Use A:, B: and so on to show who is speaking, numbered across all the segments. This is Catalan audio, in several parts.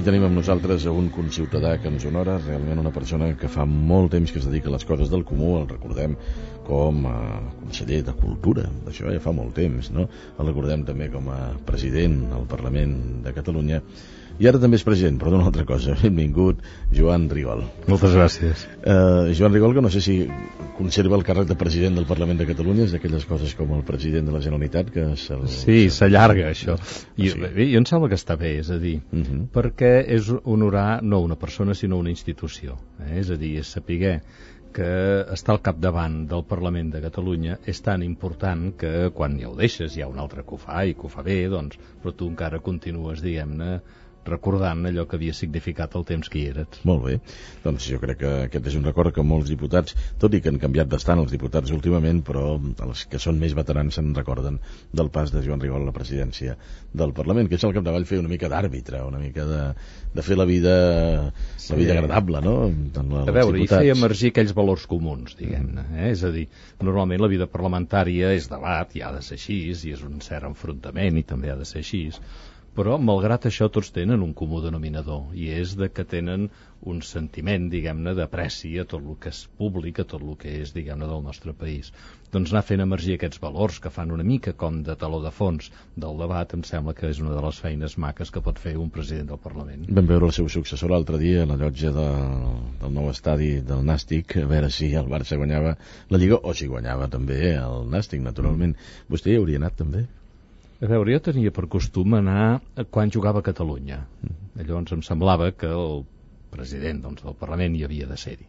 A: Avui tenim amb nosaltres un conciutadà que ens honora, realment una persona que fa molt temps que es dedica a les coses del comú. El recordem com a conseller de Cultura, això ja fa molt temps, no? El recordem també com a president al Parlament de Catalunya, i ara també és president, però d'una altra cosa. Benvingut, Joan Rigol.
B: Moltes gràcies.
A: Joan Rigol, que no sé si conserva el càrrec de president del Parlament de Catalunya, és d'aquelles coses com el president de la Generalitat que
B: Sí, s'allarga això. I em sembla que està bé, és a dir, perquè és honorar no una persona sinó una institució, és a dir, és saber que estar al capdavant del Parlament de Catalunya és tan important que quan ja ho deixes hi ha un altre que ho fa i que ho fa bé, doncs, però tu encara continues, diguem-ne, recordant allò que havia significat el temps que hi eres.
A: Molt bé, doncs jo crec que aquest és un record que molts diputats, tot i que han canviat bastant els diputats últimament, però els que són més veterans se'n recorden del pas de Joan Rigol a la presidència del Parlament, que és al capdavall fer una mica d'àrbitre, una mica de fer la vida agradable, no?
B: A veure, i fer emergir aquells valors comuns, diguem-ne, És a dir, normalment la vida parlamentària és debat, i ha de ser així, i és un cert enfrontament, i també ha de ser així, però malgrat això tots tenen un comú denominador, i és de que tenen un sentiment, diguem-ne, d'apreci a tot el que és públic, a tot el que és, diguem-ne, del nostre país. Doncs anar fent emergir aquests valors que fan una mica com de taló de fons del debat, em sembla que és una de les feines maques que pot fer un president del Parlament.
A: Vam veure el seu successor l'altre dia a la llotja del nou estadi del Nàstic, a veure si el Barça guanyava la Lliga o si guanyava també el Nàstic, naturalment. Vostè hi hauria anat també?
B: A veure, jo tenia per costum anar quan jugava a Catalunya. Llavors em semblava que el president del Parlament hi havia de ser-hi.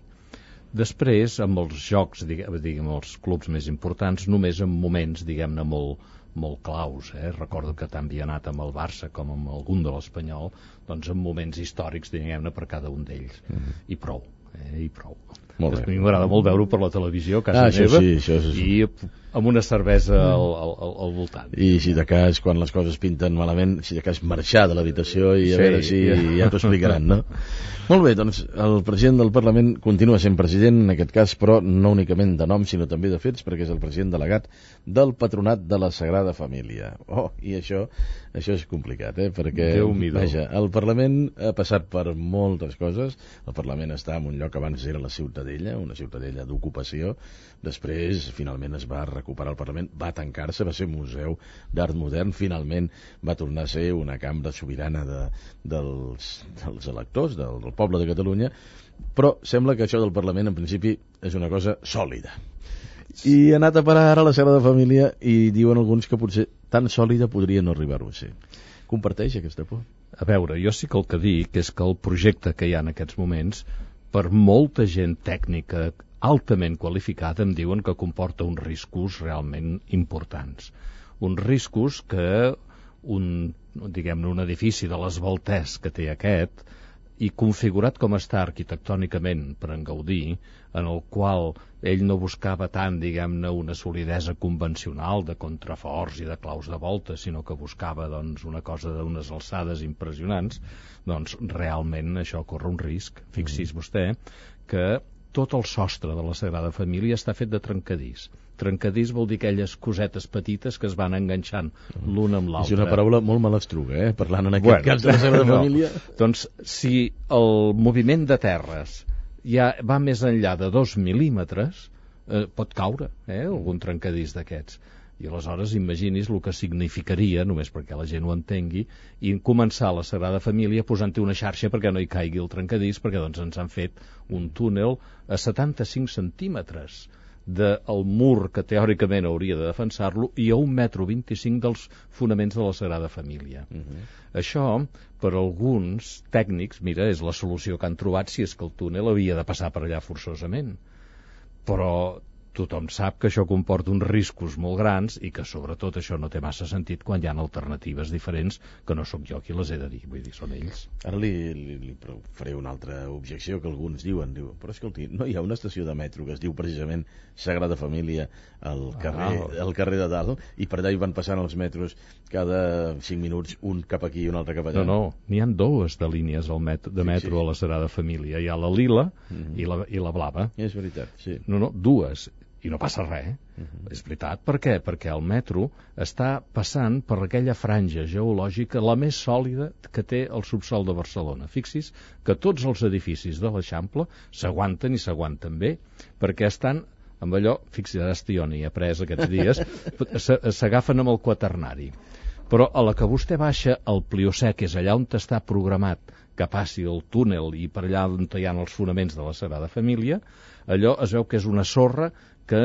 B: Després, amb els jocs, diguem, els clubs més importants, només en moments, diguem-ne, molt claus. Recordo que tant havia anat amb el Barça com amb algun de l'Espanyol, doncs en moments històrics, diguem-ne, per cada un d'ells. I prou, i prou. A mi m'agrada molt veure-ho per la televisió a casa meva, i amb una cervesa al voltant.
A: I si de cas, quan les coses pinten malament, si de cas marxar de l'habitació i a veure si ja t'ho explicaran, no? Molt bé, doncs el president del Parlament continua sent president, en aquest cas, però no únicament de nom, sinó també de fets, perquè és el president delegat del Patronat de la Sagrada Família. I això és complicat, perquè, vaja, el Parlament ha passat per moltes coses. El Parlament està en un lloc que abans era la Ciutadella, una ciutadella d'ocupació. Després, finalment, es va recuperar el Parlament, va tancar-se, va ser museu d'art modern, finalment va tornar a ser una cambra sobirana dels electors, del poble de Catalunya, però sembla que això del Parlament, en principi, és una cosa sòlida. I ha anat a parar ara a la Sagrada Família i diuen alguns que potser tan sòlida podria no arribar-ho a ser. Comparteix aquesta por?
B: A veure, jo sí que el que dic és que el projecte que hi ha en aquests moments, per molta gent tècnica altament qualificada, em diuen que comporta uns riscos realment importants. Uns riscos que diguem-ne, un edifici de l'esbaltès que té aquest, i configurat com està arquitectònicament per en Gaudí, en el qual ell no buscava tant, diguem-ne, una solidesa convencional de contraforts i de claus de volta, sinó que buscava, doncs, una cosa d'unes alçades impressionants, doncs realment això corre un risc. Fixi's vostè que tot el sostre de la Sagrada Família està fet de trencadís. Trencadís vol dir aquelles cosetes petites que es van enganxant l'una amb l'altra.
A: És una paraula molt malastruga, parlant en aquest cas de la Sagrada Família.
B: Doncs si el moviment de terres ja va més enllà de 2 mil·límetres, pot caure algun trencadís d'aquests. I aleshores imagini's el que significaria, només perquè la gent ho entengui, i començar la Sagrada Família posant-hi una xarxa perquè no hi caigui el trencadís, perquè doncs ens han fet un túnel a 75 centímetres del mur que teòricament hauria de defensar-lo i a 1,25 m dels fonaments de la Sagrada Família. Això, per alguns tècnics, mira, és la solució que han trobat si és que el túnel havia de passar per allà forçosament. Però tothom sap que això comporta uns riscos molt grans i que sobretot això no té massa sentit quan hi ha alternatives diferents que no sóc jo qui les he de dir, vull dir, són ells.
A: Ara li faré una altra objecció que alguns diuen, però escolti, no hi ha una estació de metro que es diu precisament Sagrada Família al carrer de dalt, i per allà hi van passant els metros cada 5 minuts, un cap aquí i un altre cap allà?
B: No, n'hi ha dues de línies de metro a la Sagrada Família, hi ha la lila i la blava.
A: És veritat, sí.
B: No, dues. i no passa res. És veritat. Per què? Perquè el metro està passant per aquella franja geològica la més sòlida que té el subsol de Barcelona. Fixi's que tots els edificis de l'Eixample s'aguanten i s'aguanten bé, perquè estan amb allò, fixi's, ara jo n'hi he après aquests dies, s'agafen amb el quaternari. Però a la que vostè baixa al Pliocè, que és allà on està programat que passi el túnel i per allà on hi ha els fonaments de la Sagrada Família, allò es veu que és una sorra que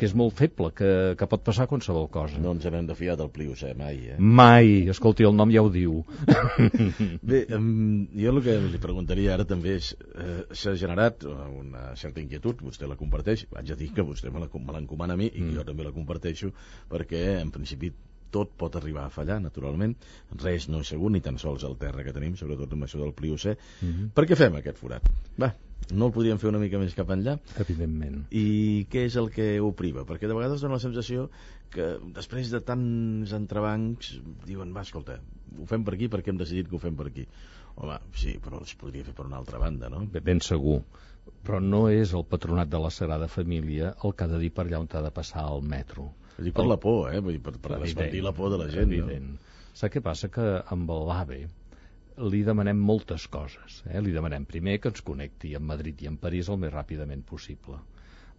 B: és molt feble, que pot passar qualsevol cosa.
A: No ens n'hem de fiar del Pliocè, mai,
B: Mai! Escolti, el nom ja ho diu.
A: Bé, jo el que li preguntaria ara també és, s'ha generat una certa inquietud, vostè la comparteix, vaig a dir que vostè me l'encomana a mi i jo també la comparteixo, perquè en principi tot pot arribar a fallar, naturalment. Res no és segur, ni tan sols el terra que tenim, sobretot amb això del Pliocè. Per què fem aquest forat? Va, no el podríem fer una mica més cap enllà?
B: Evidentment.
A: I què és el que ho priva? Perquè de vegades dona la sensació que després de tants entrebancs diuen, va, escolta, ho fem per aquí perquè hem decidit que ho fem per aquí. Home, sí, però es podria fer per una altra banda, no?
B: Ben segur. Però no és el Patronat de la Sagrada Família el que ha de dir per allà on ha de passar el metro.
A: Vull dir, per la por, vull dir, per desmentir la por de la gent.
B: Evident. No? Sap què passa? Que amb l'AVE li demanem moltes coses. Li demanem primer que ens connecti amb Madrid i amb París el més ràpidament possible.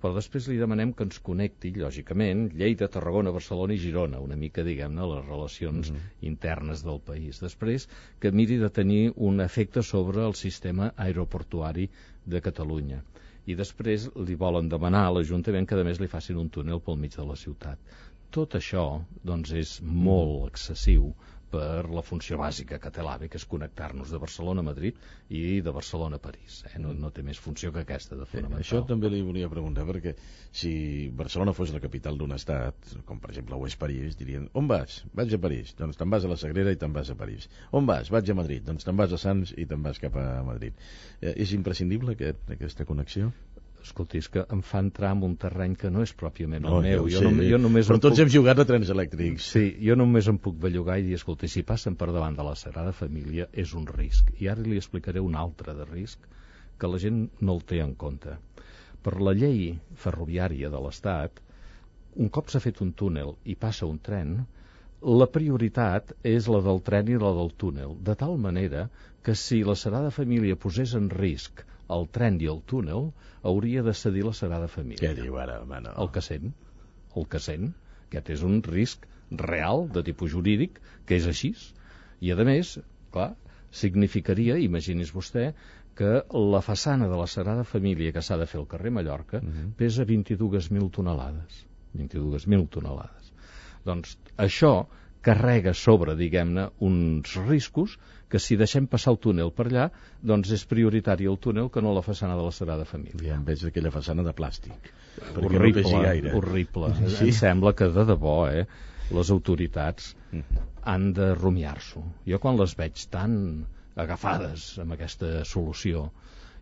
B: Però després li demanem que ens connecti, lògicament, Lleida, Tarragona, Barcelona i Girona, una mica, diguem-ne, les relacions internes del país. Després, que miri de tenir un efecte sobre el sistema aeroportuari de Catalunya. I després li volen demanar a l'Ajuntament que a més li facin un túnel pel mig de la ciutat. Tot això, doncs, és molt excessiu per la funció bàsica que té l'AVE, que és connectar-nos de Barcelona a Madrid i de Barcelona a París. No té més funció que aquesta de fonamental.
A: Això també li volia preguntar, perquè si Barcelona fos la capital d'un estat, com per exemple ho és París, dirien, on vas? Vaig a París. Doncs te'n vas a la Sagrera i te'n vas a París. On vas? Vaig a Madrid. Doncs te'n vas a Sants i te'n vas cap a Madrid. És imprescindible aquesta connexió?
B: Escolti, és que em fa entrar en un terreny que no és pròpiament el
A: Jo
B: meu.
A: però tots hem jugat a trens elèctrics.
B: Sí, jo només em puc bellugar i dir, escolti, si passen per davant de la Sagrada Família és un risc. I ara li explicaré un altre de risc que la gent no el té en compte. Per la llei ferroviària de l'Estat, un cop s'ha fet un túnel i passa un tren, la prioritat és la del tren i la del túnel, de tal manera que si la Sagrada Família posés en risc el tren i el túnel, hauria de cedir la Sagrada Família.
A: Què diu ara, home, no?
B: El que sent. Aquest és un risc real, de tipus jurídic, que és així. I, a més, clar, significaria, imagini's vostè, que la façana de la Sagrada Família que s'ha de fer al carrer Mallorca pesa 22.000 tonelades. 22.000 tonelades. Doncs això carrega sobre, diguem-ne, uns riscos que si deixem passar el túnel per allà, doncs és prioritari el túnel que no la façana de la Sagrada Família.
A: I en vez d'aquella façana de plàstic.
B: Horrible, no horrible. Sí? Em sembla que de debò, les autoritats han de rumiar-s'ho. Jo quan les veig tan agafades amb aquesta solució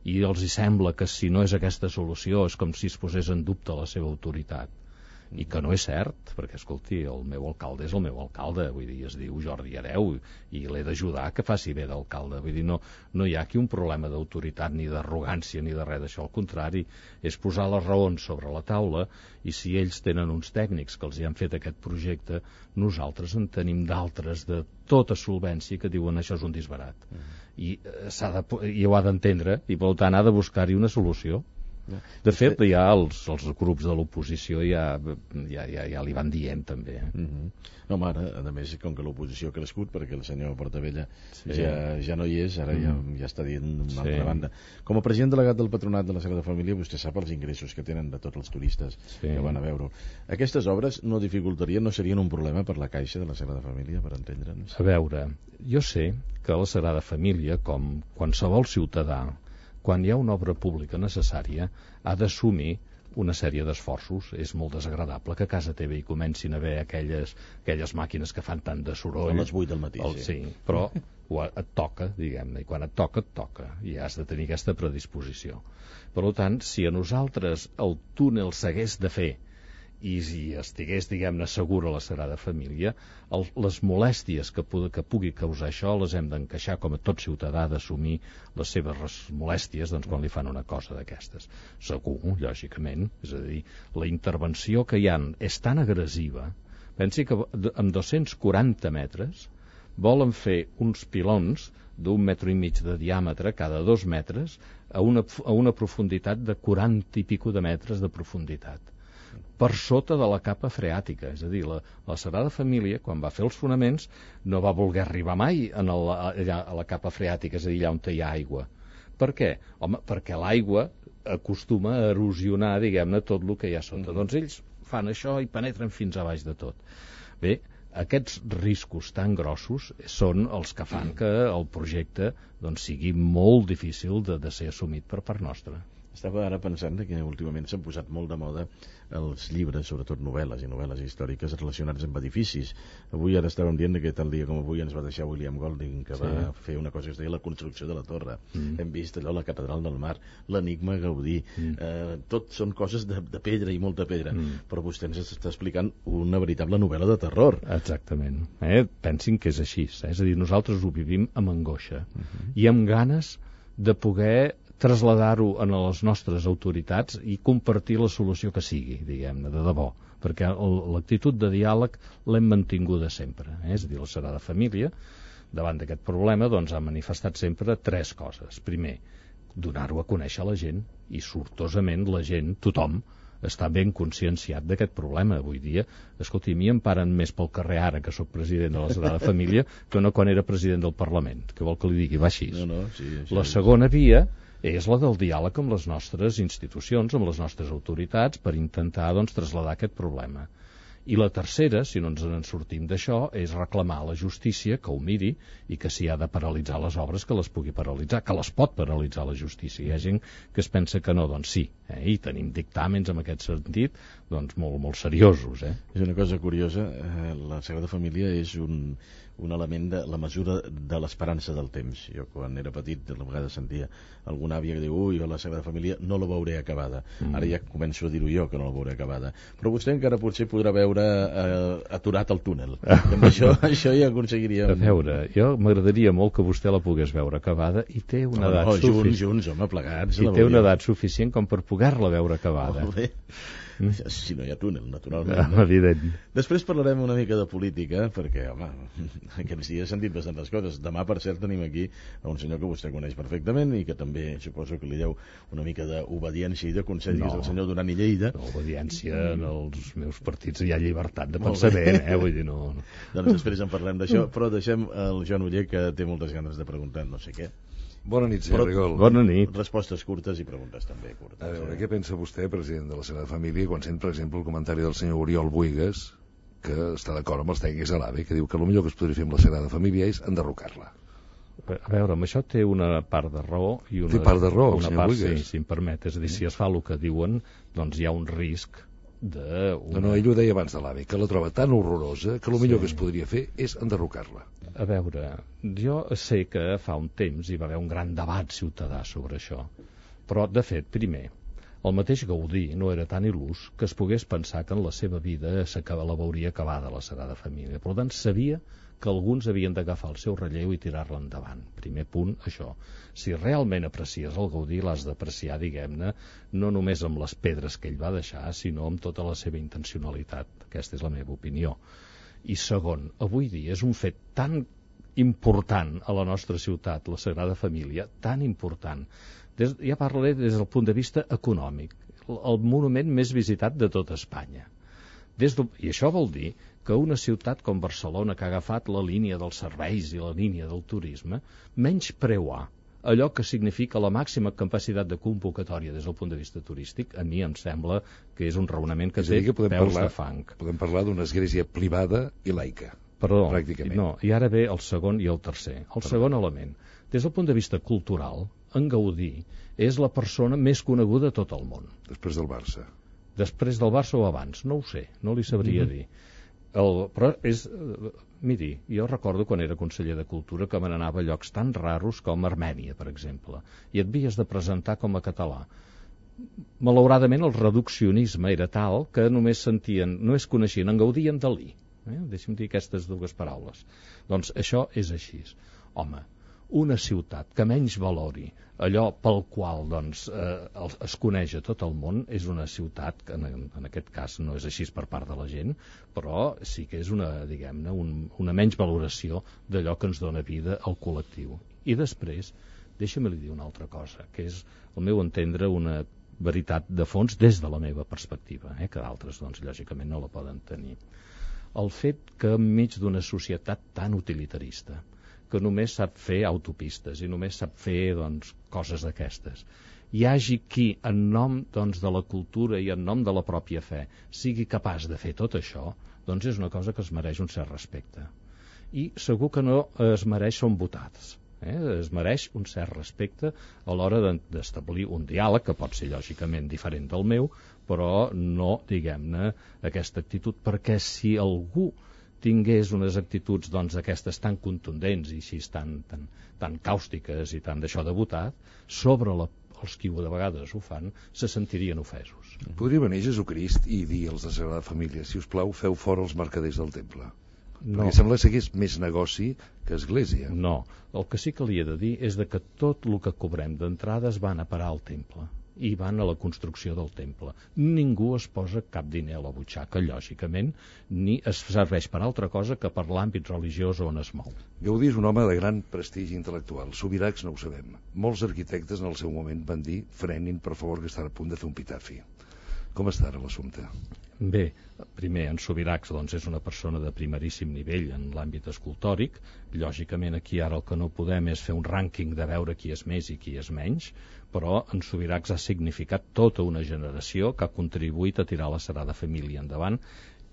B: i els hi sembla que si no és aquesta solució és com si es posés en dubte la seva autoritat, i que no és cert, perquè, escolti, el meu alcalde és el meu alcalde, vull dir, es diu Jordi Hereu, i l'he d'ajudar que faci bé d'alcalde, vull dir, no hi ha aquí un problema d'autoritat, ni d'arrogància, ni de res d'això, al contrari, és posar les raons sobre la taula, i si ells tenen uns tècnics que els hi han fet aquest projecte, nosaltres en tenim d'altres de tota solvència que diuen això és un disbarat, i ho ha d'entendre, i per tant ha de buscar-hi una solució. De fet, ja els grups de l'oposició ja li van dient també.
A: No, home, ara, a més, com que l'oposició ha crescut, perquè el senyor Portabella ja no hi és, ara ja està dient una altra banda. Com a president delegat del Patronat de la Sagrada Família, vostè sap els ingressos que tenen de tots els turistes que van a veure-ho. Aquestes obres no dificultarien, no serien un problema per la Caixa de la Sagrada Família, per entendre'ns?
B: A veure, jo sé que la Sagrada Família, com qualsevol ciutadà, quan hi ha una obra pública necessària, ha d'assumir una sèrie d'esforços. És molt desagradable que a casa teva hi comencin a haver aquelles màquines que fan tant de soroll.
A: A les 8 del matí,
B: sí. Però et toca, diguem-ne, i quan et toca, i has de tenir aquesta predisposició. Per tant, si a nosaltres el túnel s'hagués de fer i si estigués, diguem-ne, segura la Sagrada Família, les molèsties que pugui causar això les hem d'encaixar, com a tot ciutadà, d'assumir les seves molèsties quan li fan una cosa d'aquestes. Segur, lògicament, és a dir, la intervenció que hi ha és tan agressiva. Pensi que amb 240 metres volen fer uns pilons d'1,5 metre de diàmetre cada 2 metres a una profunditat de 40 i pico de metres de profunditat, per sota de la capa freàtica. És a dir, la Sagrada Família, quan va fer els fonaments, no va voler arribar mai a la capa freàtica, és a dir, allà on hi ha aigua. Per què? Home, perquè l'aigua acostuma a erosionar, diguem-ne, tot el que hi ha sota. Doncs ells fan això i penetren fins a baix de tot. Bé, aquests riscos tan grossos són els que fan que el projecte sigui molt difícil de ser assumit per part nostra.
A: Estava ara pensant que últimament s'han posat molt de moda els llibres, sobretot novel·les i novel·les històriques relacionats amb edificis. Avui ara estàvem dient que tal dia com avui ens va deixar William Golding, que va fer una cosa que es deia la construcció de la torre. Hem vist allò, la Catedral del Mar, l'Enigma Gaudí. Tot són coses de pedra i molta pedra. Però vostè ens està explicant una veritable novel·la de terror.
B: Exactament. Pensin que és així. És a dir, nosaltres ho vivim amb angoixa i amb ganes de poder traslladar-ho a les nostres autoritats i compartir la solució que sigui, diguem-ne, de debò, perquè l'actitud de diàleg l'hem mantinguda sempre. És a dir, la Sagrada Família, davant d'aquest problema, ha manifestat sempre 3 coses. Primer, donar-ho a conèixer a la gent, i sortosament la gent, tothom, està ben conscienciat d'aquest problema. Avui dia, escolti, a mi em paren més pel carrer ara que sóc president de la Sagrada Família que no quan era president del Parlament. Què vol que li digui? Va així. La segona via és la del diàleg amb les nostres institucions, amb les nostres autoritats, per intentar traslladar aquest problema. I la tercera, si no ens en sortim d'això, és reclamar a la justícia que ho miri i que si ha de paralitzar les obres, que les pugui paralitzar, que les pot paralitzar la justícia. Hi ha gent que es pensa que no, doncs sí, i tenim dictàmens en aquest sentit molt seriosos.
A: És una cosa curiosa, la Sagrada Família és un element de la mesura de l'esperança del temps. Jo quan era petit a vegades sentia alguna àvia que diu ui, la Sagrada Família no la veuré acabada. Ara ja començo a dir-ho jo que no la veuré acabada, però vostè encara potser podrà veure aturat el túnel. Amb això ja aconseguiríem.
B: A veure, jo m'agradaria molt que vostè la pogués veure acabada i té una edat suficient.
A: Junts, home, plegats.
B: I té una edat suficient com per poder-la veure acabada.
A: Molt bé. Si no hi ha túnel, naturalment.
B: Evident.
A: Després parlarem una mica de política, perquè, home, aquests dies s'han dit bastantes coses. Demà, per cert, tenim aquí un senyor que vostè coneix perfectament i que també suposo que li deu una mica d'obediència i de consell, que és el senyor Duran i Lleida.
B: No, obediència en els meus partits hi ha llibertat de pensament, vull dir, no.
A: Doncs després en parlem d'això, però deixem el Joan Oller, que té moltes ganes de preguntar no sé què.
C: Bona nit, senyor Rigol.
B: Bona nit.
A: Respostes curtes i preguntes també curtes.
C: A veure, què pensa vostè, president de la Sagrada Família, quan sent, per exemple, el comentari del senyor Oriol Buigas, que està d'acord amb els tècnics de l'AVE, que diu que el millor que es podria fer amb la Sagrada Família és enderrocar-la?
B: A veure, amb això té una part de raó i una,
C: té part de raó,
B: una
C: senyor
B: part,
C: Buigas.
B: sí, si em permet. És a dir, si es fa el que diuen, doncs hi ha un risc de...
C: No, ell ho deia abans de l'AVE, que la troba tan horrorosa que el millor que es podria fer és enderrocar-la.
B: A veure, jo sé que fa un temps hi va haver un gran debat ciutadà sobre això, però, de fet, primer, el mateix Gaudí no era tan il·lús que es pogués pensar que en la seva vida la veuria acabada la Sagrada Família. Per tant, sabia que alguns havien d'agafar el seu relleu i tirar-la endavant. Primer punt, això. Si realment aprecies el Gaudí, l'has d'apreciar, diguem-ne, no només amb les pedres que ell va deixar, sinó amb tota la seva intencionalitat. Aquesta és la meva opinió. I segon, avui dia és un fet tan important a la nostra ciutat, la Sagrada Família, tan important. Ja parlaré des del punt de vista econòmic. El monument més visitat de tota Espanya. I això vol dir que una ciutat com Barcelona, que ha agafat la línia dels serveis i la línia del turisme, menys preuar allò que significa la màxima capacitat de convocatòria des del punt de vista turístic, a mi em sembla que és un raonament que té peus de fang.
C: Podem parlar d'una església privada i laica.
B: Perdó,
C: pràcticament.
B: No, i ara ve el segon i el tercer. El segon element. Des del punt de vista cultural, en Gaudí és la persona més coneguda de tot el món.
C: Després del Barça.
B: Després del Barça o abans, no ho sé, no li sabria dir. Però és... Miri, jo recordo quan era conseller de Cultura que me n'anava a llocs tan raros com Armènia, per exemple, i et havies de presentar com a català. malauradament el reduccionisme era tal que només coneixien, en gaudien Dalí. Deixa'm dir aquestes dues paraules. Doncs això és així. Home, una ciutat que menys valori allò pel qual es coneix a tot el món és una ciutat que en aquest cas no és així per part de la gent, però sí que és una menys valoració d'allò que ens dona vida al col·lectiu. I després, deixa'm dir una altra cosa, que és, al meu entendre, una veritat de fons des de la meva perspectiva, que d'altres, lògicament, no la poden tenir. El fet que enmig d'una societat tan utilitarista, que només sap fer autopistes i només sap fer coses d'aquestes, hi hagi qui, en nom de la cultura i en nom de la pròpia fe, sigui capaç de fer tot això, és una cosa que es mereix un cert respecte. I segur que no es mereix ser votats. Es mereix un cert respecte a l'hora d'establir un diàleg, que pot ser lògicament diferent del meu, però no, diguem-ne, aquesta actitud, perquè si algú tingués unes actituds aquestes tan contundents i així tan càustiques i tan d'això de votar, sobre els qui de vegades ho fan, se sentirien ofesos.
C: Podria venir Jesucrist i dir als de Sagrada Família, si us plau, feu fora els mercaders del temple. No. Perquè sembla que és més negoci que església.
B: No, el que sí que li he de dir és que tot el que cobrem d'entrades van a parar al temple i van a la construcció del temple. Ningú es posa cap diner a la butxaca, lògicament, ni es serveix per altra cosa que per l'àmbit religiós on es mou.
C: Gaudí és un home de gran prestigi intel·lectual. Subirachs no ho sabem. Molts arquitectes en el seu moment van dir frenin, per favor, que estan a punt de fer un epitafi. Com està ara l'assumpte?
B: Bé, primer, en Subirachs és una persona de primeríssim nivell en l'àmbit escultòric. Lògicament, aquí ara el que no podem és fer un rànquing de veure qui és més i qui és menys, però en Subirachs ha significat tota una generació que ha contribuït a tirar la Sagrada Família endavant.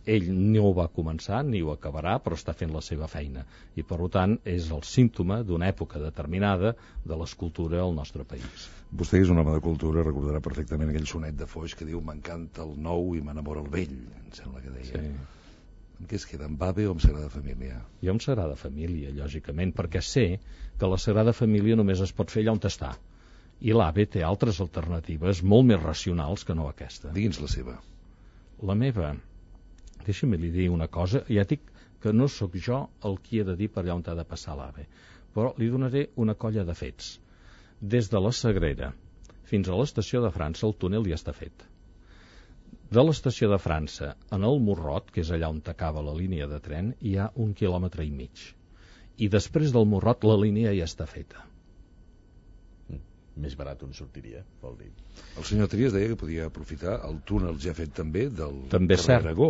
B: Ell no ho va començar ni ho acabarà, però està fent la seva feina i per tant és el símptoma d'una època determinada de l'escultura al nostre país.
C: Vostè és un home de cultura, recordarà perfectament aquell sonet de Foix que diu m'encanta el nou i m'enamora el vell, em sembla que deia.
B: Sí.
C: Amb què es queda, amb AVE o amb Sagrada Família?
B: Jo amb Sagrada Família, lògicament, perquè sé que la Sagrada Família només es pot fer allà on està i l'AVE té altres alternatives molt més racionals que no aquesta.
C: Digui'ns la seva.
B: La meva, deixa'm li dir una cosa, ja dic que no sóc jo el qui he de dir per allà on ha de passar l'AVE, però li donaré una colla de fets. Des de la Sagrera fins a l'estació de França el túnel ja està fet. De l'estació de França en el Morrot, que és allà on acaba la línia de tren, hi ha 1,5 quilòmetres. I després del Morrot la línia ja està feta.
A: Més barat on sortiria, vol dir.
C: El senyor Trias deia que podia aprofitar el túnel ja fet també del
B: també
C: carrer Aragó.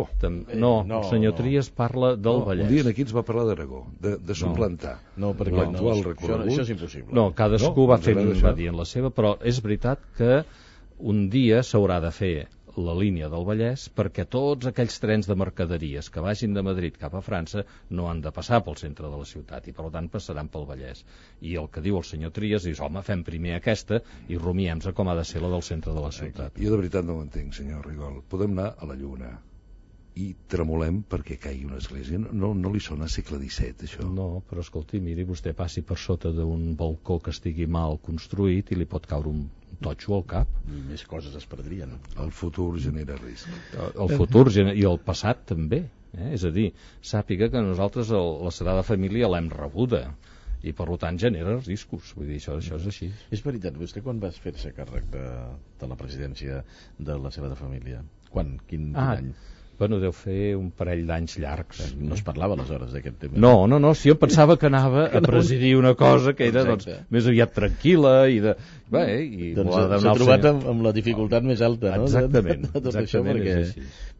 B: No, el senyor Trias parla del Vallès.
C: Un dia aquí ens va parlar d'Aragó, de suplantar.
A: No, perquè
C: l'actual recorregut.
A: Això és impossible.
B: No, cadascú va dir en la seva, però és veritat que un dia s'haurà de fer la línia del Vallès perquè tots aquells trens de mercaderies que vagin de Madrid cap a França no han de passar pel centre de la ciutat i per tant passaran pel Vallès. I el que diu el senyor Trias és, home, fem primer aquesta i rumiem-nos a com ha de ser la del centre de la ciutat.
C: Jo de veritat no ho entenc, senyor Rigol. Podem anar a la Lluna i tremolem perquè caigui una església. No li sona segle XVII, això?
B: No, però escolti, miri, vostè passi per sota d'un balcó que estigui mal construït i li pot caure un totxo al cap.
A: I més coses es perdrien.
C: El futur genera risc.
B: El futur i el passat també. És a dir, sàpiga que nosaltres la Sagrada Família l'hem rebuda i per tant genera riscos. Vull dir, això és així.
A: És veritat, vostè quan va fer-se càrrec de la presidència de la Sagrada Família? Quan? Quin any?
B: Bueno, deu fer un parell d'anys llargs.
A: No es parlava aleshores d'aquest tema?
B: No, si jo pensava que anava a presidir una cosa que era més aviat tranquil·la i de...
A: s'ha trobat amb la dificultat més alta, no?
B: Exactament.
A: De tot això, perquè,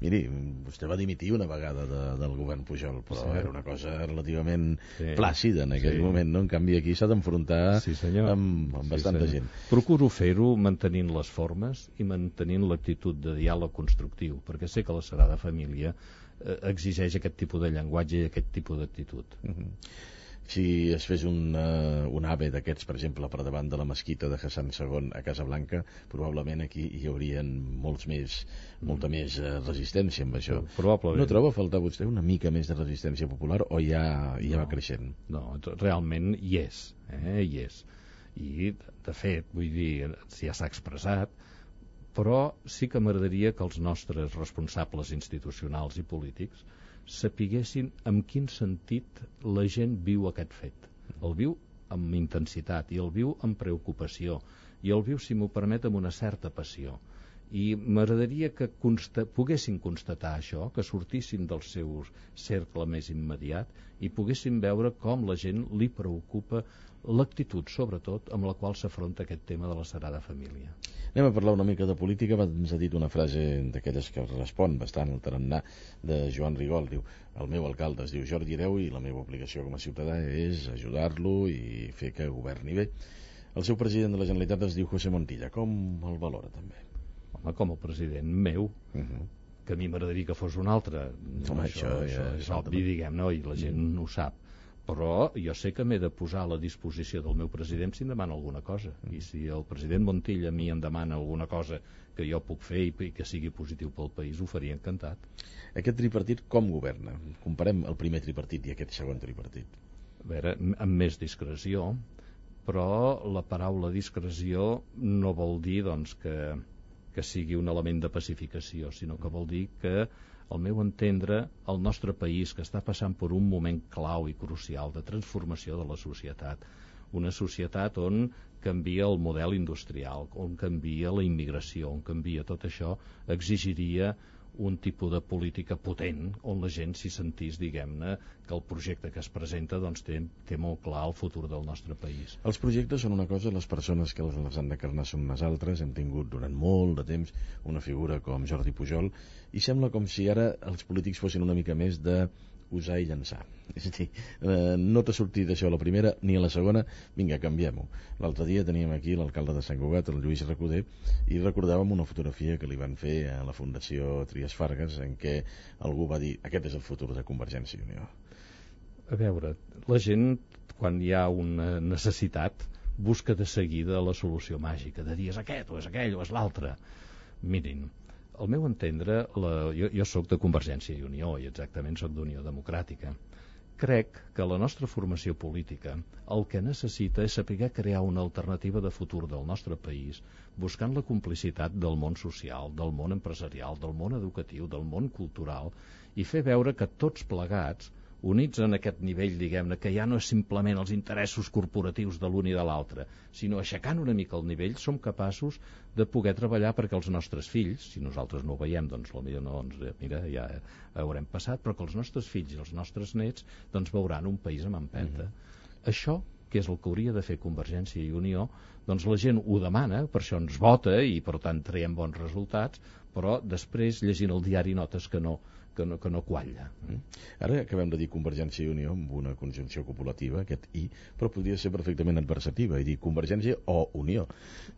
A: miri, vostè va dimitir una vegada del govern Pujol, però era una cosa relativament plàcida en aquell moment, no? En canvi, aquí s'ha d'enfrontar amb bastanta gent.
B: Procuro fer-ho mantenint les formes i mantenint l'actitud de diàleg constructiu, perquè sé que la Sagrada Família exigeix aquest tipus de llenguatge i aquest tipus d'actitud.
A: Si es fes un AVE d'aquests, per exemple, per davant de la mesquita de Hassan II a Casablanca, probablement aquí hi haurien molta més resistència amb això.
B: Probablement.
A: No troba a faltar vostè una mica més de resistència popular o ja va creixent?
B: No, realment hi és. I, de fet, vull dir, si ja s'ha expressat, però sí que m'agradaria que els nostres responsables institucionals i polítics sapiguessin en quin sentit la gent viu aquest fet. El viu amb intensitat i el viu amb preocupació i el viu, si m'ho permet, amb una certa passió. I m'agradaria que poguessin constatar això, que sortissin del seu cercle més immediat i poguessin veure com la gent li preocupa l'actitud, sobretot, amb la qual s'afronta aquest tema de la Sagrada Família.
A: Anem a parlar una mica de política. Ens ha dit una frase d'aquelles que respon bastant al tarannà de Joan Rigol. Diu, el meu alcalde es diu Jordi Hereu i la meva obligació com a ciutadà és ajudar-lo i fer que governi bé. El seu president de la Generalitat es diu José Montilla. Com el valora, també?
B: Home, com a president meu, que a mi m'agradaria que fos un altre.
A: Home, això
B: és obvi, diguem-ne, i la gent ho sap. Però jo sé que m'he de posar a la disposició del meu president si em demana alguna cosa. I si el president Montilla a mi em demana alguna cosa que jo puc fer i que sigui positiu pel país, ho faria encantat.
A: Aquest tripartit com governa? Comparem el primer tripartit i aquest segon tripartit.
B: A veure, amb més discreció, però la paraula discreció no vol dir doncs, que sigui un element de pacificació, sinó que vol dir que, al meu entendre, el nostre país, que està passant per un moment clau i crucial de transformació de la societat, una societat on canvia el model industrial, on canvia la immigració, on canvia tot això, exigiria un tipus de política potent on la gent s'hi sentís, diguem-ne, que el projecte que es presenta doncs, té molt clar el futur del nostre país.
A: Els projectes són una cosa, les persones que les han d'encarnar són unes altres. Hem tingut durant molt de temps una figura com Jordi Pujol i sembla com si ara els polítics fossin una mica més de usar i llançar. És a dir, no t'ha sortit això a la primera ni a la segona, vinga, canviem-ho. L'altre dia teníem aquí l'alcalde de Sant Cugat, el Lluís Recoder, i recordàvem una fotografia que li van fer a la Fundació Trias Fargas en què algú va dir, aquest és el futur de Convergència i Unió.
B: A veure, la gent, quan hi ha una necessitat, busca de seguida la solució màgica, de dir és aquest, o és aquell, o és l'altre. Mirin, al meu entendre, jo sóc de Convergència i Unió i exactament sóc d'Unió Democràtica. Crec que la nostra formació política el que necessita és saber crear una alternativa de futur del nostre país, buscant la complicitat del món social, del món empresarial, del món educatiu, del món cultural, i fer veure que tots plegats, units en aquest nivell, diguem-ne, que ja no és simplement els interessos corporatius de l'un i de l'altre, sinó aixecant una mica el nivell, som capaços de poder treballar perquè els nostres fills, si nosaltres no ho veiem, doncs potser no, mira, ja haurem passat, però que els nostres fills i els nostres nets doncs veuran un país amb empenta. Això, que és el que hauria de fer Convergència i Unió, doncs la gent ho demana, per això ens vota i per tant traiem bons resultats, però després llegint el diari notes que no qualla.
A: Ara acabem de dir Convergència i Unió amb una conjunció copulativa, aquest i, però podria ser perfectament adversativa i dir Convergència o Unió.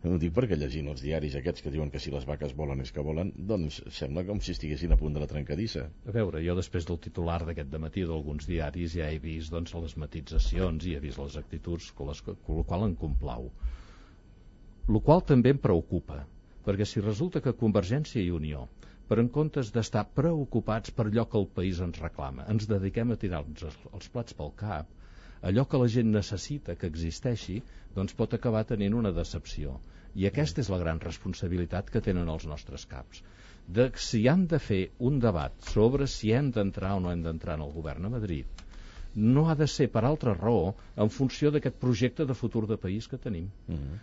A: Ho dic perquè llegint els diaris aquests que diuen que si les vaques volen és que volen, doncs sembla com si estiguessin a punt de la trencadissa.
B: A veure, jo després del titular d'aquest dematí d'alguns diaris ja he vist doncs, les matitzacions i he vist les actituds la qual em complau. El qual també em preocupa, perquè si resulta que Convergència i Unió, per en comptes d'estar preocupats per allò que el país ens reclama, ens dediquem a tirar-nos els plats pel cap, allò que la gent necessita que existeixi, doncs pot acabar tenint una decepció. I aquesta és la gran responsabilitat que tenen els nostres caps. De si han de fer un debat sobre si hem d'entrar o no hem d'entrar en el govern a Madrid, no ha de ser per altra raó en funció d'aquest projecte de futur de país que tenim.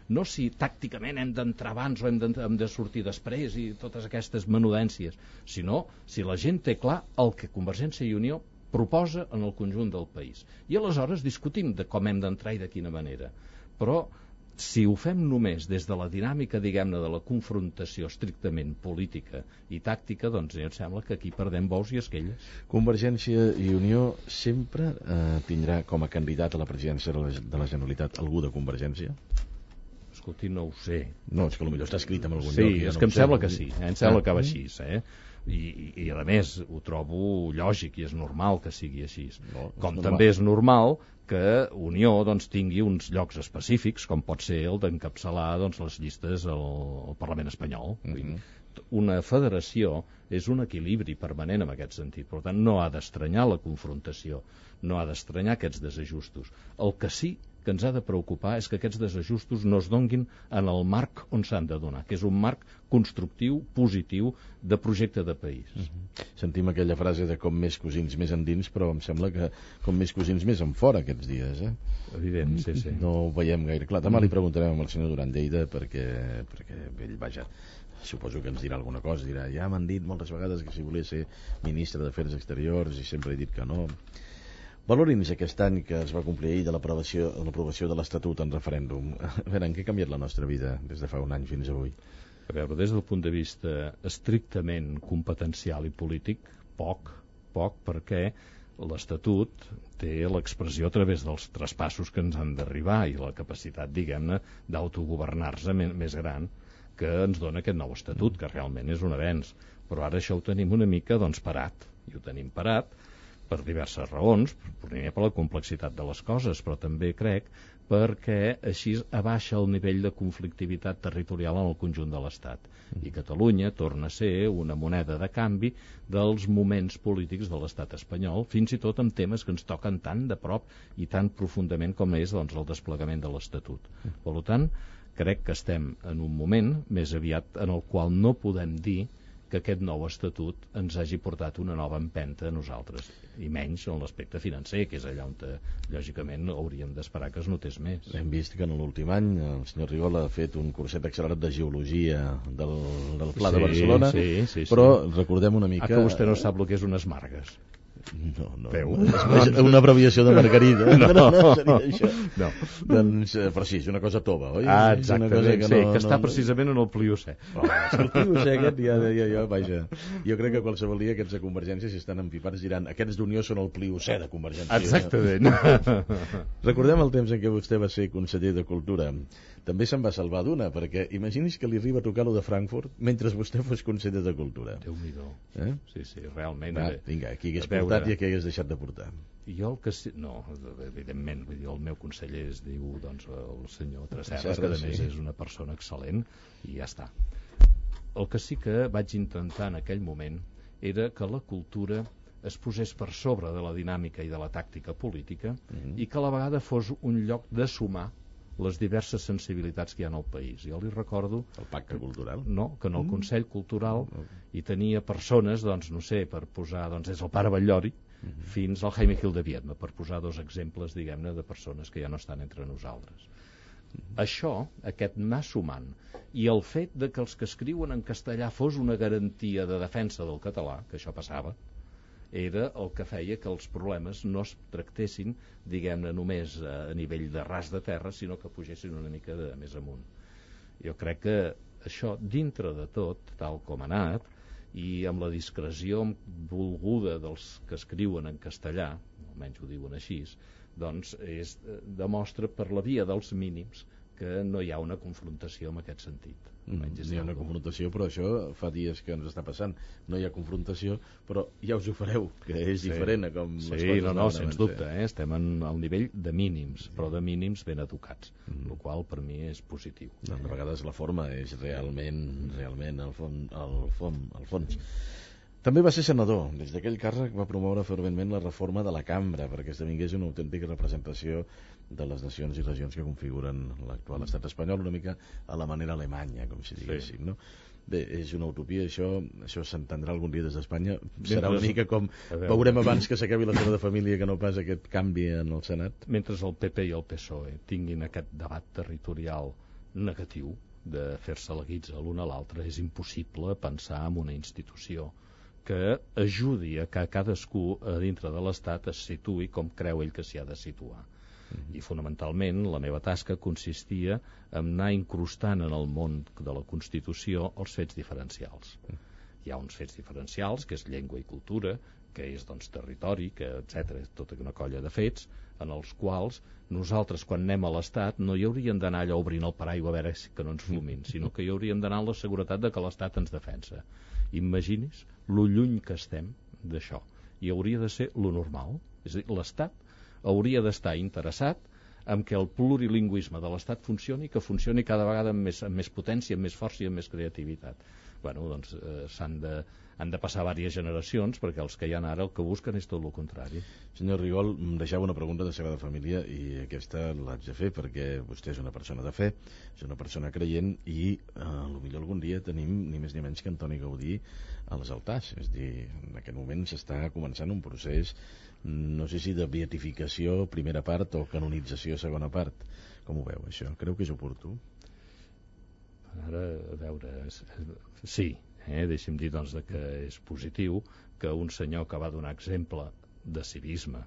B: No si tàcticament hem d'entrar abans o hem de sortir després i totes aquestes menudències, sinó si la gent té clar el que Convergència i Unió proposa en el conjunt del país. I aleshores discutim de com hem d'entrar i de quina manera. Però si ho fem només des de la dinàmica, diguem-ne, de la confrontació estrictament política i tàctica, doncs em sembla que aquí perdem bous i esquelles.
A: Convergència i Unió sempre tindrà com a candidat a la presidència de la Generalitat algú de Convergència?
B: Escolti, no ho sé.
A: No, és que potser està escrit en algun lloc.
B: Sí, és que em sembla que sí, em sembla que va així, I a més ho trobo lògic i és normal que sigui així. Com també és normal que Unió doncs, tingui uns llocs específics, com pot ser el d'encapçalar doncs, les llistes al Parlament espanyol. Una federació és un equilibri permanent en aquest sentit. Per tant, no ha d'estranyar la confrontació, no ha d'estranyar aquests desajustos. El que sí que ens ha de preocupar és que aquests desajustos no es donguin en el marc on s'han de donar, que és un marc constructiu, positiu, de projecte de país.
A: Sentim aquella frase de com més cosins més endins, però em sembla que com més cosins més en fora aquests dies,
B: Evident, sí.
A: No ho veiem gaire clar. Demà li preguntarem al senyor Duran Lleida perquè ell, vaja, suposo que ens dirà alguna cosa, dirà, ja m'han dit moltes vegades que si volia ser ministre d'Afers Exteriors i sempre he dit que no. Valori'ns aquest any que es va complir ahir de l'aprovació de l'Estatut en referèndum. A veure, en què ha canviat la nostra vida des de fa un any fins avui?
B: A veure, des del punt de vista estrictament competencial i polític, poc, perquè l'Estatut té l'expressió a través dels traspassos que ens han d'arribar i la capacitat, diguem-ne, d'autogovernar-se més gran que ens dona aquest nou estatut, que realment és un avenç. Però ara això ho tenim una mica, parat. I ho tenim parat per diverses raons, primer per la complexitat de les coses, però també crec perquè així abaixa el nivell de conflictivitat territorial en el conjunt de l'Estat. I Catalunya torna a ser una moneda de canvi dels moments polítics de l'Estat espanyol, fins i tot amb temes que ens toquen tan de prop i tan profundament com és el desplegament de l'Estatut. Per tant, crec que estem en un moment més aviat en el qual no podem dir que aquest nou estatut ens hagi portat una nova empenta a nosaltres, i menys en l'aspecte financer, que és allà on, lògicament, hauríem d'esperar que es notés més.
A: Hem vist que en l'últim any el senyor Rigol ha fet un curset accelerat de geologia del Pla de Barcelona, però recordem una mica...
B: Que vostè no sap el que és unes margues.
A: No. És una abreviació de Margarida.
B: No,
A: seria això. No. Doncs, però sí, és una cosa tova, oi?
B: Exactament, que està precisament en el Pliocè.
A: El Pliocè aquest, ja, vaja. Jo crec que qualsevol dia aquests de Convergència, si estan empipats, diran aquests d'Unió són el Pliocè de Convergència.
B: Exactament.
A: Recordem el temps en què vostè va ser conseller de Cultura. També se'n va salvar d'una, perquè imagini's que li arriba a tocar lo de Frankfurt mentre vostè fos conseller de Cultura.
B: Déu-n'hi-do. Sí, realment.
A: Vinga, aquí hagués portat i aquí hagués deixat de portar.
B: Jo el que sí... No, evidentment, vull dir, el meu conseller es diu el senyor Tresserras, que a més és una persona excel·lent, i ja està. El que sí que vaig intentar en aquell moment era que la cultura es posés per sobre de la dinàmica i de la tàctica política i que a la vegada fos un lloc de sumar les diverses sensibilitats que hi ha al país. Jo li recordo...
A: El pacte cultural?
B: No, que en el Consell Cultural hi tenia persones, no sé, per posar, des del Pare Batllori fins al Jaime Gil de Viedma, per posar dos exemples, diguem-ne, de persones que ja no estan entre nosaltres. Això, aquest anar sumant, i el fet de que els que escriuen en castellà fos una garantia de defensa del català, que això passava, era el que feia que els problemes no es tractessin, diguem-ne, només a nivell de ras de terra, sinó que pugessin una mica més amunt. Jo crec que això, dintre de tot, tal com ha anat, i amb la discreció volguda dels que escriuen en castellà, almenys ho diuen així, doncs demostra per la via dels mínims que no hi ha una confrontació en aquest sentit.
A: No hi ha una confrontació, però això fa dies que ens està passant. No hi ha confrontació, però ja us ho fareu, que és diferent a com les coses
B: no, sens dubte, estem al nivell de mínims, però de mínims ben educats, el qual per mi és positiu.
A: A vegades la forma és realment el fons. També va ser senador. Des d'aquell càrrec va promoure ferventment la reforma de la cambra perquè esdevingués una autèntica representació de les nacions i regions que configuren l'actual estat espanyol, una mica a la manera alemanya, com si diguéssim, no? Bé, és una utopia, això s'entendrà algun dia des d'Espanya. Serà una mica com veurem abans que s'acabi la Sagrada Família que no pas aquest canvi en el Senat.
B: Mentre el PP i el PSOE tinguin aquest debat territorial negatiu de fer-se la guitza l'un a l'altre, és impossible pensar en una institució que ajudi a que cadascú a dintre de l'Estat es situï com creu ell que s'hi ha de situar. I fonamentalment la meva tasca consistia en anar incrustant en el món de la Constitució els fets diferencials. Hi ha uns fets diferencials, que és llengua i cultura, que és territori, etc. Tota una colla de fets en els quals nosaltres, quan anem a l'Estat, no hi hauríem d'anar allà obrint el paraigua a veure que no ens fumin, sinó que hi hauríem d'anar amb la seguretat de que l'Estat ens defensa. Imagini's lo lluny que estem d'això. I hauria de ser lo normal. És a dir, l'Estat hauria d'estar interessat en que el plurilingüisme de l'Estat funcioni, que funcioni cada vegada amb més potència, amb més força i amb més creativitat. bueno, doncs han de passar diverses generacions, perquè els que hi ha ara el que busquen és tot el contrari.
A: Senyor Rigol, em deixava una pregunta de Sagrada Família i aquesta l'haig de fer perquè vostè és una persona de fe, és una persona creient i potser algun dia tenim ni més ni menys que Antoni Gaudí a les altars. És a dir, en aquest moment s'està començant un procés, no sé si de beatificació primera part o canonització segona part. Com ho veu, això? Creu que és oportú?
B: Ara, a veure, sí, deixi'm dir doncs que és positiu que un senyor que va donar exemple de civisme,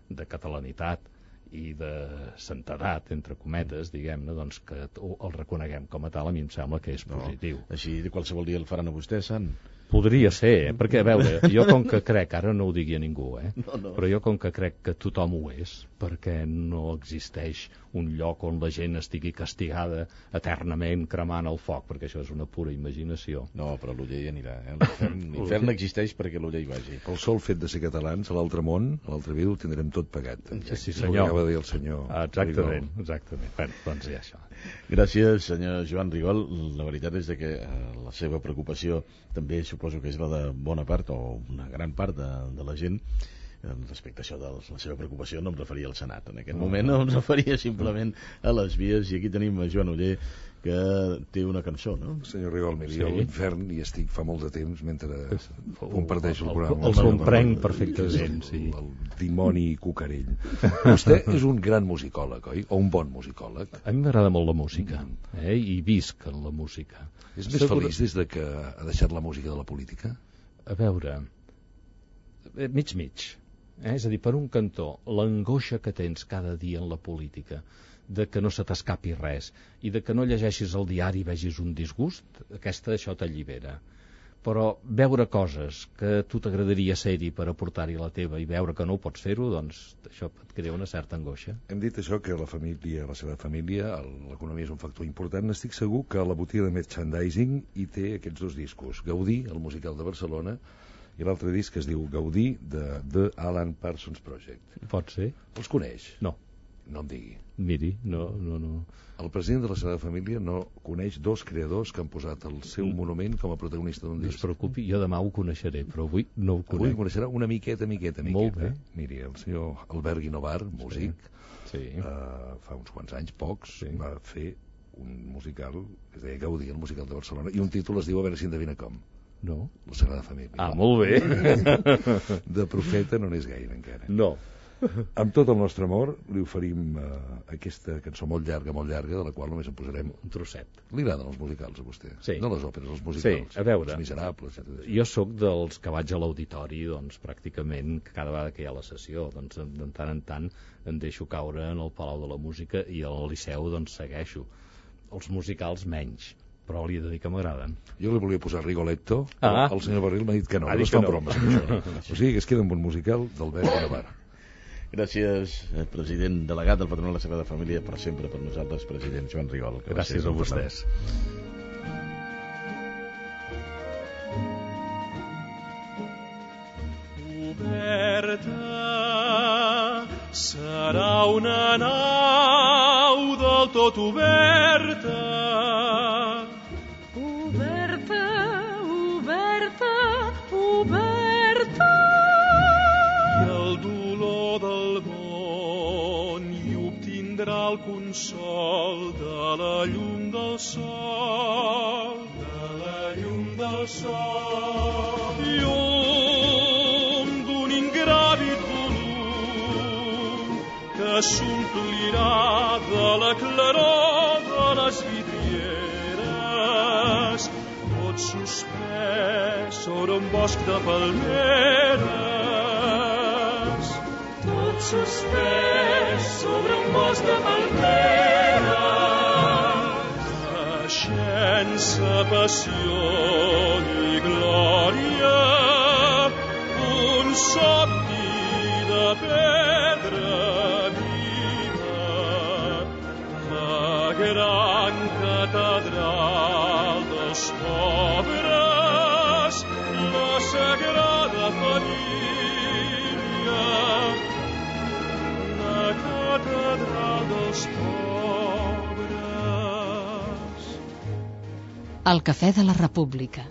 B: de catalanitat i de santedat, entre cometes, diguem-ne, doncs que el reconeguem com a tal, a mi em sembla que és positiu.
A: Així de qualsevol dia el faran a vostè, sant?
B: Podria ser, perquè, a veure, jo com que crec, ara no ho digui a ningú,
A: no.
B: Però jo com que crec que tothom ho és, perquè no existeix un lloc on la gent estigui castigada eternament cremant el foc, perquè això és una pura imaginació.
A: No, però l'Oller hi anirà, L'infern existeix perquè l'Oller hi vagi.
C: El sol fet de ser catalans, a l'altre món, a l'altre vida, ho tindrem tot pagat.
B: Sí, senyor.
C: Ho acaba de dir el senyor.
B: Exactament. Bueno, doncs ja això.
A: Gràcies, senyor Joan Rigol. La veritat és que la seva preocupació també suposo que és la de bona part o una gran part de la gent. Respecte a això de la seva preocupació no em referia al Senat en aquest moment, no em referia simplement a les vies, i aquí tenim a Joan Oller que té una cançó, no?
C: Senyor Rigol, miri, jo a l'infern hi estic fa molt de temps mentre comparteixo el programa.
B: El comprenc perfectament, sí.
C: El dimoni cucarell. Vostè és un gran musicòleg, oi? O un bon musicòleg?
B: A mi m'agrada molt la música, i visc en la música.
C: És més feliç des de que ha deixat la música de la política?
B: A veure, mig. És a dir, per un cantó, l'angoixa que tens cada dia en la política, de que no se t'escapi res, i de que no llegeixis el diari i vegis un disgust, això t'allibera. Però veure coses que tu t'agradaria ser-hi per aportar-hi la teva i veure que no ho pots fer-ho, doncs això et crea una certa angoixa.
C: Hem dit això, que la família, la seva família, l'economia és un factor important. Estic segur que la botiga de merchandising hi té aquests dos discos. Gaudí, el musical de Barcelona, i l'altre disc que es diu Gaudí, de The Alan Parsons Project.
B: Pot ser?
C: Els coneix?
B: No.
C: No em digui.
B: Miri, no.
C: El president de la Sagrada Família no coneix dos creadors que han posat el seu monument com a protagonista d'un disc.
B: No es preocupi, jo demà ho coneixeré, però avui no ho conec.
C: Avui ho coneixerà una miqueta.
B: Molt bé.
C: Miri, el senyor Albert Guinovar, músic,
B: sí.
C: Fa uns quants anys, pocs, va fer un musical que es deia Gaudí, el musical de Barcelona, i un títol es diu, a veure si endevina com.
B: No.
C: La Sagrada Família.
B: Ah, molt bé.
C: De profeta no n'és gaire encara.
B: No.
C: Amb tot el nostre amor li oferim aquesta cançó molt llarga, de la qual només en posarem
B: un trosset.
C: Li agraden els musicals a vostè?
B: Sí.
C: No les òperes, els musicals.
B: Sí, a veure,
C: Els Miserables.
B: jo sóc dels que vaig a l'auditori, doncs pràcticament cada vegada que hi ha la sessió, doncs de tant en tant em deixo caure en el Palau de la Música i al Liceu doncs segueixo. Els musicals menys, però li he de dir que m'agraden.
C: Jo li volia posar Rigoletto, el senyor Barril m'ha dit que no,
B: no es
C: fan bromes amb això. O sigui que es queda amb un musical d'Albert Guinovar.
A: Gràcies, president delegat del Patronat de la Sagrada Família, per sempre per nosaltres, president Joan Rigol.
B: Gràcies a vostès.
D: Oberta serà una nau del tot oberta. El consol de la llum del sol, llum d'un ingràvit volum que s'omplirà de la claror de les vidrieres, tot suspès sobre un bosc de palmeres, tot suspès sobre un bosc de palmeres, naixença, passió i glòria, un somni de pedra viva, la gran catedral dels pobres, la Sagrada Família, la catedral dels pobres.
E: El cafè de la República.